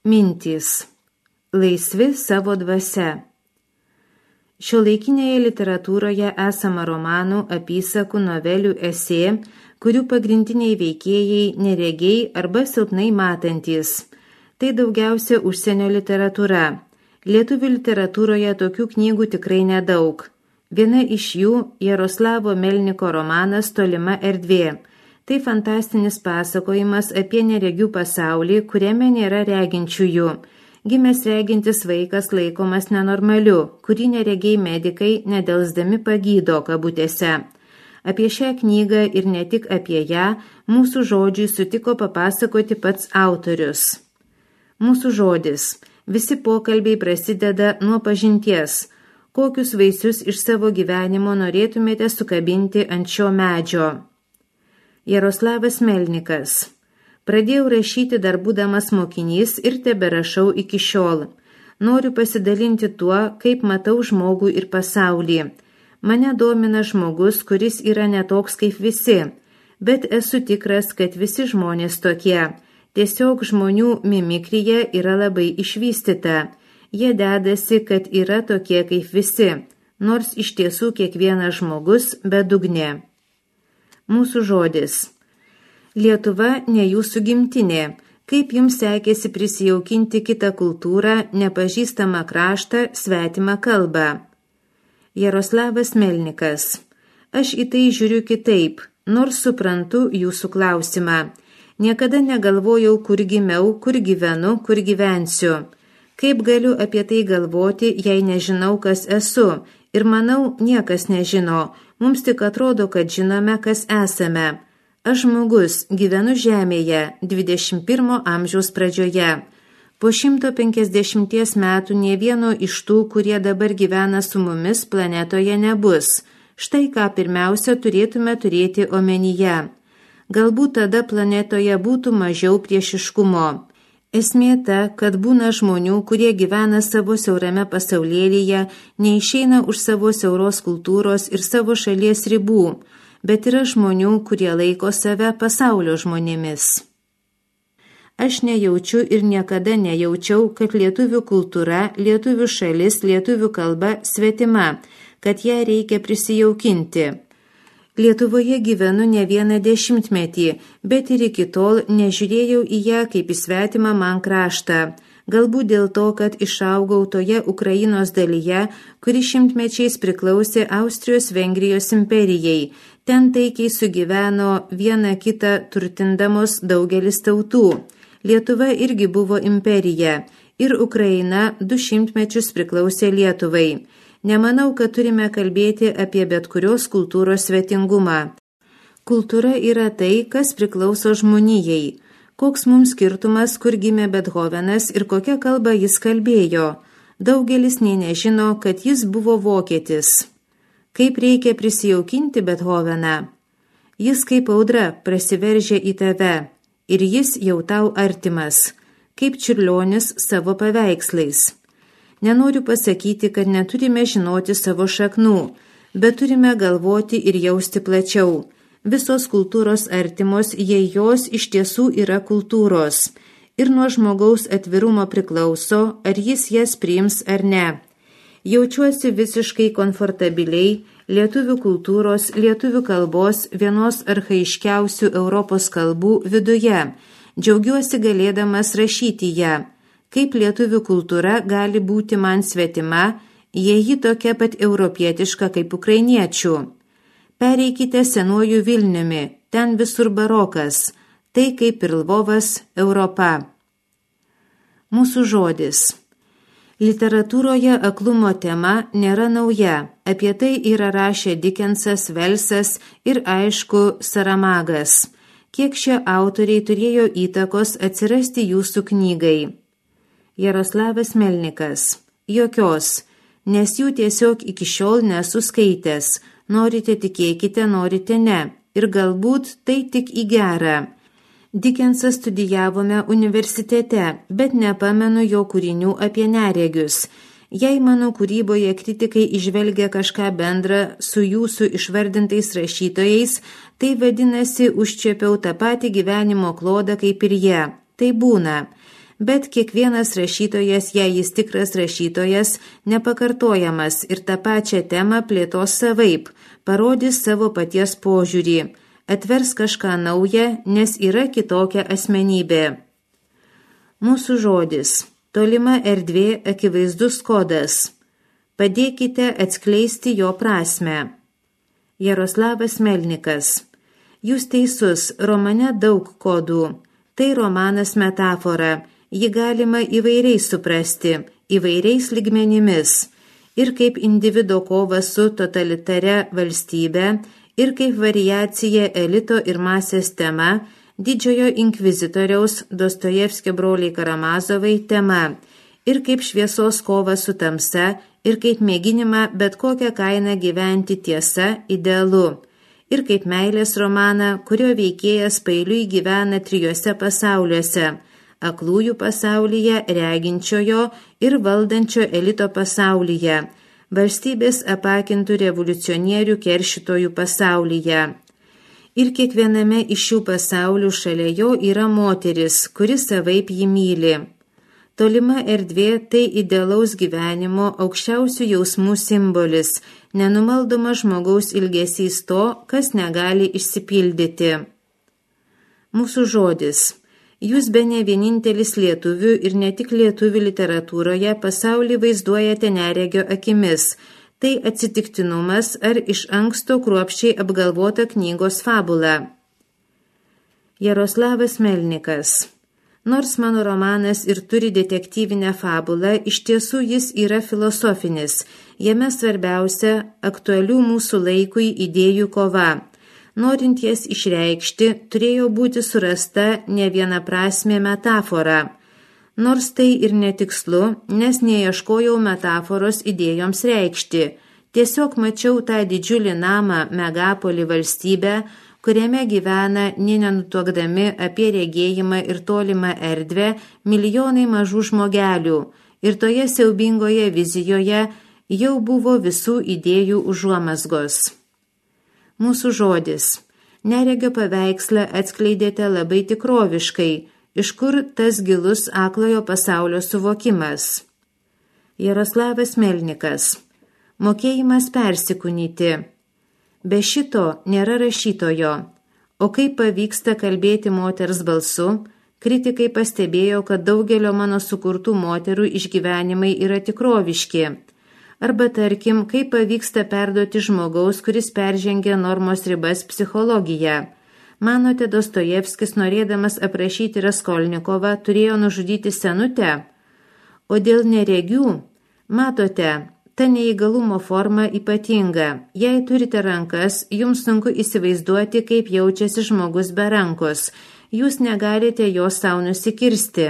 Mintys. Laisvi savo dvasia. Šiuolaikinėje literatūroje esama romanų, apysakų, novelių, esė, kurių pagrindiniai veikėjai neregiai arba silpnai matantys. Tai daugiausia užsienio literatūra. Lietuvių literatūroje tokių knygų tikrai nedaug. Viena iš jų Jaroslavo Melniko romanas Tolima erdvė. Tai fantastinis pasakojimas apie neregių pasaulį, kuriame nėra reginčiųjų. Gimęs regintis vaikas laikomas nenormaliu, kurį neregiai medikai nedelsdami pagydo kabutėse. Apie šią knygą ir ne tik apie ją mūsų žodžiui sutiko papasakoti pats autorius. Mūsų žodis. Visi pokalbiai prasideda nuo pažinties. Kokius vaisius iš savo gyvenimo norėtumėte sukabinti ant šio medžio? Jaroslavas Melnikas. Pradėjau rašyti dar būdamas mokinys ir teberašau iki šiol. Noriu pasidalinti tuo, kaip matau žmogų ir pasaulį. Mane domina žmogus, kuris yra netoks kaip visi, bet esu tikras, kad visi žmonės tokie. Tiesiog žmonių mimikrija yra labai išvystyta. Jie dedasi, kad yra tokie kaip visi, nors iš tiesų kiekvienas žmogus bedugnė. Mūsų žodis. Lietuva ne jūsų gimtinė. Kaip jums sekėsi prisijaukinti kitą kultūrą, nepažįstamą kraštą, svetimą kalbą? Jaroslavas Melnikas. Aš į tai žiūriu kitaip, nors suprantu jūsų klausimą. Niekada negalvojau, kur gimiau, kur gyvenu, kur gyvensiu. Kaip galiu apie tai galvoti, jei nežinau, kas esu? Ir manau, niekas nežino. Mums tik atrodo, kad žinome, kas esame. Aš žmogus, gyvenu žemėje, 21 amžiaus pradžioje. Po 150 metų nė vieno iš tų, kurie dabar gyvena su mumis, planetoje nebus. Štai ką pirmiausia turėtume turėti omenyje. Galbūt tada planetoje būtų mažiau priešiškumo. Esmė ta, kad būna žmonių, kurie gyvena savo siaurame pasaulėlyje, neišeina už savo siauros kultūros ir savo šalies ribų, bet yra žmonių, kurie laiko save pasaulio žmonėmis. Aš nejaučiu ir niekada nejaučiau, kad lietuvių kultūra, lietuvių šalis, lietuvių kalba svetima, kad ją reikia prisijaukinti. Lietuvoje gyvenu ne vieną dešimtmetį, bet ir iki tol nežiūrėjau į ją kaip į svetimą man kraštą. Galbūt dėl to, kad išaugau toje Ukrainos dalyje, kuri šimtmečiais priklausė Austrijos-Vengrijos imperijai. Ten taikiai sugyveno vieną kitą turtindamos daugelis tautų. Lietuva irgi buvo imperija ir Ukraina 200 mečius priklausė Lietuvai. Nemanau, kad turime kalbėti apie bet kurios kultūros svetingumą. Kultūra yra tai, kas priklauso žmonijai. Koks mums skirtumas, kur gimė Bethovenas ir kokią kalbą jis kalbėjo? Daugelis nė nežino, kad jis buvo vokietis. Kaip reikia prisijaukinti Bethoveną? Jis kaip audra prasiveržia į tave ir jis jau tau artimas, kaip Čiurlionis savo paveikslais. Nenoriu pasakyti, kad neturime žinoti savo šaknų, bet turime galvoti ir jausti plačiau. Visos kultūros artimos, jei jos iš tiesų yra kultūros. Ir nuo žmogaus atvirumo priklauso, ar jis jas priims ar ne. Jaučiuosi visiškai komfortabiliai lietuvių kultūros, lietuvių kalbos, vienos archaiškiausių Europos kalbų viduje. Džiaugiuosi galėdamas rašyti ją. Kaip lietuvių kultūra gali būti man svetima, jei ji tokia pat europietiška kaip ukrainiečių. Pereikite senuoju Vilniumi, ten visur barokas, tai kaip ir Lvovas, Europa. Mūsų žodis. Literatūroje aklumo tema nėra nauja, apie tai yra rašę Dikensas, Velsas ir aišku Saramagas. Kiek šie autoriai turėjo įtakos atsirasti jūsų knygai? Jaroslavas Melnikas. Jokios, nes jų tiesiog iki šiol nesu skaitęs. Norite tikėkite, norite ne. Ir galbūt tai tik į gerą. Dikensą studijavome universitete, bet nepamenu jo kūrinių apie neregius. Jei mano kūryboje kritikai įžvelgia kažką bendrą su jūsų išvardintais rašytojais, tai vadinasi užčiapiau tą patį gyvenimo klodą kaip ir jie. Tai būna. bet kiekvienas rašytojas, jei jis tikras rašytojas, nepakartojamas ir tą pačią temą plėtos savaip, parodys savo paties požiūrį, atvers kažką naują, nes yra kitokia asmenybė. Mūsų žodis, tolima erdvė, akivaizdus kodas. Padėkite atskleisti jo prasmę. Jaroslavas Melnikas. Jūs teisus, romane daug kodų. Tai romanas metafora, ji galima įvairiai suprasti, įvairiais lygmenimis. Ir kaip individo kova su totalitare valstybe, ir kaip variacija elito ir masės tema, didžiojo inkvizitoriaus Dostojevskio broliai Karamazovai tema, ir kaip šviesos kova su tamsa, ir kaip mėginimą bet kokią kainą gyventi tiesa, idealu, ir kaip meilės romaną, kurio veikėjas pailiui gyvena 3 pasauliuose – aklųjų pasaulyje, reginčiojo ir valdančio elito pasaulyje, valstybės apakintų revoliucionierių keršytojų pasaulyje. Ir kiekviename iš šių pasaulių šalia jo yra moteris, kuri savaip jį myli. Tolima erdvė tai idealaus gyvenimo aukščiausių jausmų simbolis, nenumaldoma žmogaus ilgesys to, kas negali išsipildyti. Mūsų žodis. Jūs bene vienintelis lietuvių ir ne tik lietuvių literatūroje pasaulį vaizduojate neregio akimis. Tai atsitiktinumas ar iš anksto kruopščiai apgalvota knygos fabula. Jaroslavas Melnikas. Nors mano romanas ir turi detektyvinę fabulą, iš tiesų jis yra filosofinis. Jame svarbiausia aktualių mūsų laikui idėjų kova. Norint jas išreikšti, turėjo būti surasta ne vienaprasmė metafora. Nors tai ir netikslu, nes neieškojau metaforos idėjoms reikšti. Tiesiog mačiau tą didžiulį namą, megapolį valstybę, kuriame gyvena, nenutuokdami apie regėjimą ir tolimą erdvę, milijonai mažų žmogelių. Ir toje siaubingoje vizijoje jau buvo visų idėjų užuomazgos. Mūsų žodis. Neregio paveikslą atskleidėte labai tikroviškai, iš kur tas gilus aklojo pasaulio suvokimas. Jaroslavas Melnikas. Mokėjimas persikūnyti. Be šito nėra rašytojo. O kaip pavyksta kalbėti moters balsu, kritikai pastebėjo, kad daugelio mano sukurtų moterų išgyvenimai yra tikroviški. Arba tarkim, kaip pavyksta perduoti žmogaus, kuris peržengia normos ribas psichologiją. Manote, Dostojevskis, norėdamas aprašyti Raskolnikovą, turėjo nužudyti senutę? O dėl neregių, matote, ta neįgalumo forma ypatinga. Jei turite rankas, jums sunku įsivaizduoti, kaip jaučiasi žmogus be rankos. Jūs negalite jo sau nusikirsti.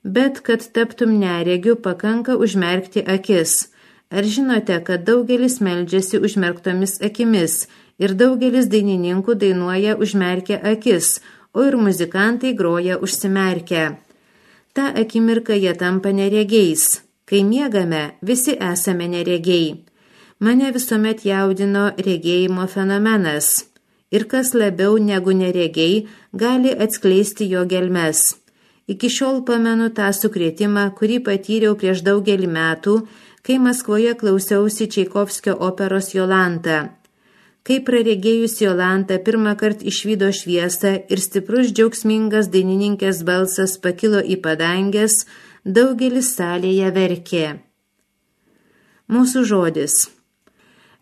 Bet, kad taptum neregiu, pakanka užmerkti akis. Ar žinote, kad daugelis meldžiasi užmerktomis akimis ir daugelis dainininkų dainuoja užmerkę akis, o ir muzikantai groja užsimerkę. Ta akimirka jie tampa neregiais. Kai miegame, visi esame neregiai. Mane visuomet jaudino regėjimo fenomenas. Ir kas labiau negu neregiai gali atskleisti jo gelmes. Iki šiol pamenu tą sukrėtimą, kurį patyriau prieš daugelį metų, kai Maskvoje klausiausi Čaikovskio operos Jolanta. Kai praregėjus Jolantą pirmąkart išvydo šviesą ir stiprus džiaugsmingas dainininkės balsas pakilo į padangės, daugelis salėje verkė. Mūsų žodis.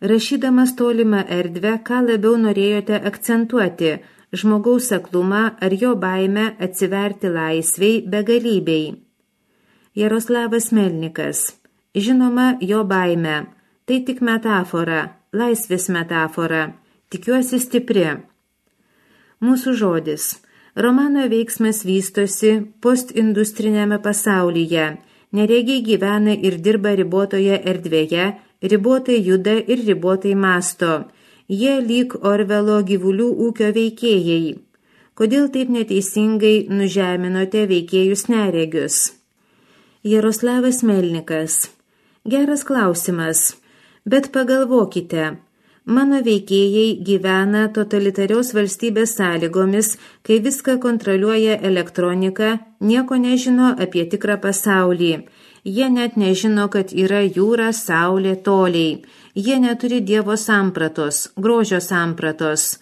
Rašydamas tolimą erdvę, ką labiau norėjote akcentuoti – žmogaus aklumą ar jo baimę atsiverti laisvei begalybei. Jaroslavas Melnikas. Žinoma, jo baimė. Tai tik metafora, laisvės metafora. Tikiuosi stipri. Mūsų žodis. Romano veiksmas vystosi postindustrinėme pasaulyje. Neregiai gyvena ir dirba ribotoje erdvėje, ribotai juda ir ribotai masto. Jie lyg Orvelo gyvulių ūkio veikėjai. Kodėl taip neteisingai nužeminote veikėjus neregius? Jaroslavas Melnikas. Geras klausimas, bet pagalvokite, Mano veikėjai gyvena totalitarios valstybės sąlygomis, kai viską kontroliuoja elektronika, nieko nežino apie tikrą pasaulį. Jie net nežino, kad yra jūra, saulė, toliai. Jie neturi Dievo sampratos, grožio sampratos.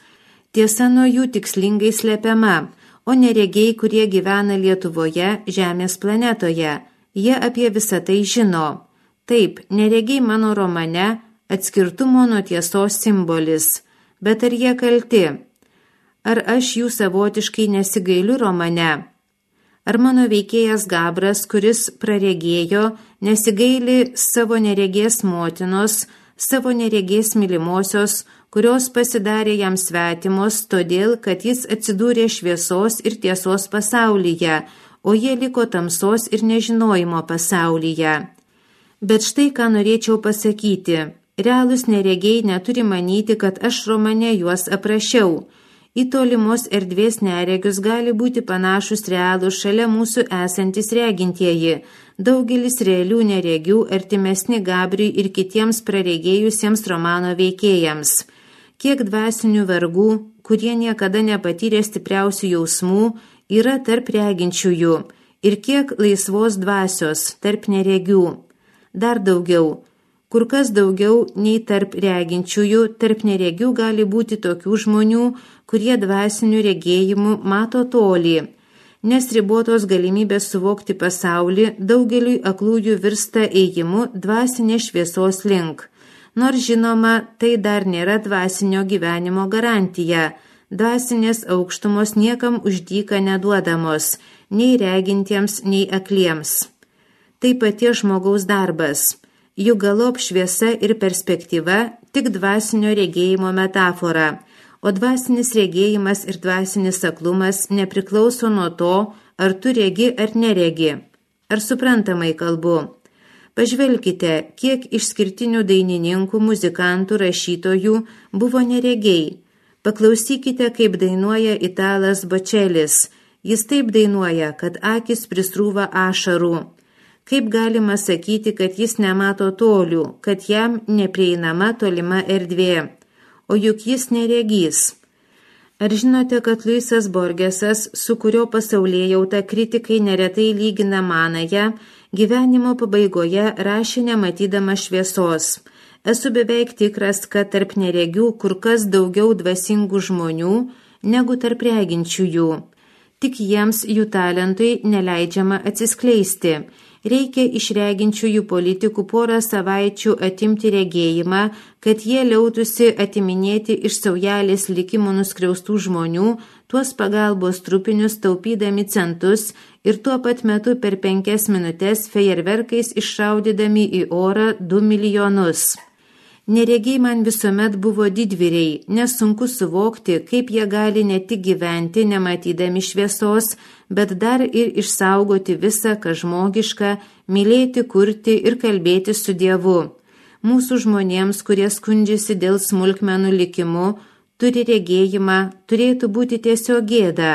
Tiesa nuo jų tikslingai slepiama, o neregiai, kurie gyvena Lietuvoje, Žemės planetoje. Jie apie visą tai žino. Taip, neregiai mano romane atskirtumo nuo tiesos simbolis. Bet ar jie kalti? Ar aš jų savotiškai nesigailiu romane? Ar mano veikėjas Gabras, kuris praregėjo, nesigaili savo neregės motinos, savo neregės mylimosios, kurios pasidarė jam svetimos, todėl, kad jis atsidūrė šviesos ir tiesos pasaulyje, o jie liko tamsos ir nežinojimo pasaulyje. Bet štai ką norėčiau pasakyti. Realūs neregiai neturi manyti, kad aš romane juos aprašiau. Į tolimos erdvės neregius gali būti panašus realūs šalia mūsų esantis regintieji. Daugelis realių neregių artimesni Gabriui ir kitiems praregėjusiems romano veikėjams. Kiek dvasinių vergų, kurie niekada nepatyrė stipriausių jausmų, yra tarp reginčiųjų ir kiek laisvos dvasios tarp neregių. Dar daugiau. Kur kas daugiau nei tarp reginčiųjų, tarp neregių gali būti tokių žmonių, kurie dvasinių regėjimų mato tolį, nes ribotos galimybės suvokti pasaulį daugeliui aklųjų virsta ėjimu dvasinės šviesos link. Nors žinoma, tai dar nėra dvasinio gyvenimo garantija. Dvasinės aukštumos niekam už dyką neduodamos, nei regintiems, nei akliems. Tai paties žmogaus darbas. Juk galop šviesa ir perspektyva tik dvasinio regėjimo metafora, o dvasinis regėjimas ir dvasinis aklumas nepriklauso nuo to, ar tu regi ar neregi. Ar suprantamai kalbu? Pažvelkite, kiek išskirtinių dainininkų, muzikantų, rašytojų buvo neregiai. Paklausykite, kaip dainuoja italas Bočelis. Jis taip dainuoja, kad akis prisrūva ašarų. Kaip galima sakyti, kad jis nemato tolių, kad jam neprieinama tolima erdvė, o juk jis neregys. Ar žinote, kad Luisas Borgesas, su kurio pasaulėjauta kritikai neretai lygina manąją, gyvenimo pabaigoje rašė nematydama šviesos. Esu beveik tikras, kad tarp neregių kur kas daugiau dvasingų žmonių negu tarp reginčiųjų. Tik jiems jų talentui neleidžiama atsiskleisti. Reikia iš reginčiųjų politikų porą savaičių atimti regėjimą, kad jie liautųsi atiminėti iš saujelės likimų nuskriaustų žmonių tuos pagalbos trupinius taupydami centus ir tuo pat metu per 5 minutes fejerverkais iššaudydami į orą 2 milijonus. Neregiai man visuomet buvo didvyriai, nesunku suvokti, kaip jie gali ne tik gyventi nematydami šviesos, bet dar ir išsaugoti visą, kas žmogiška, mylėti, kurti ir kalbėti su Dievu. Mūsų žmonėms, kurie skundžiasi dėl smulkmenų likimu, turi regėjimą, turėtų būti tiesiog gėda.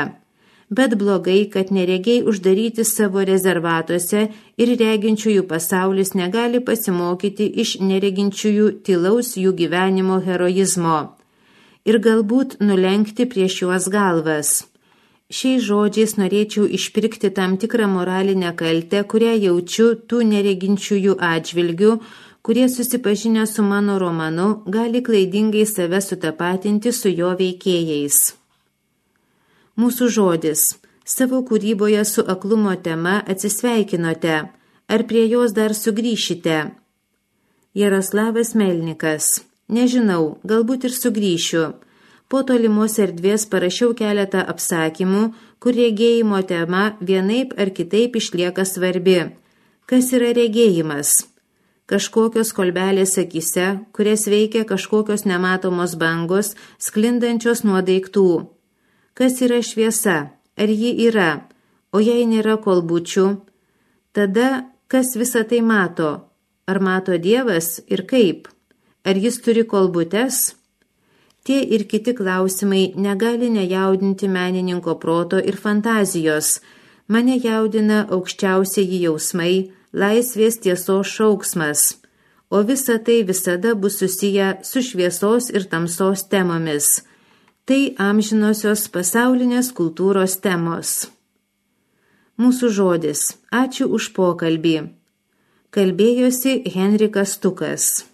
Bet blogai, kad neregiai uždaryti savo rezervatuose ir reginčiųjų pasaulis negali pasimokyti iš nereginčiųjų tylaus jų gyvenimo heroizmo ir galbūt nulenkti prieš juos galvas. Šiais žodžiais norėčiau išpirkti tam tikrą moralinę kaltę, kurią jaučiu tų nereginčiųjų atžvilgių, kurie susipažinę su mano romanu gali klaidingai save sutapatinti su jo veikėjais. Mūsų žodis. Savo kūryboje su aklumo tema atsisveikinote. Ar prie jos dar sugrįšite? Jaroslavas Melnikas. Nežinau, galbūt ir sugrįšiu. Po tolimos erdvės parašiau keletą apsakymų, kur regėjimo tema vienaip ar kitaip išlieka svarbi. Kas yra regėjimas? Kažkokios kolbelės akyse, kurias veikia kažkokios nematomos bangos, sklindančios nuo daiktų. Kas yra šviesa? Ar ji yra? O jei nėra kolbučių, tada kas visą tai mato? Ar mato Dievas ir kaip? Ar jis turi kolbutes? Tie ir kiti klausimai negali nejaudinti menininko proto ir fantazijos. Mane jaudina aukščiausieji jausmai, laisvės tiesos šauksmas. o visa tai visada bus susiję su šviesos ir tamsos temomis. Tai amžinosios pasaulinės kultūros temos. Mūsų žodis. Ačiū už pokalbį. Kalbėjosi Henrikas Stukas.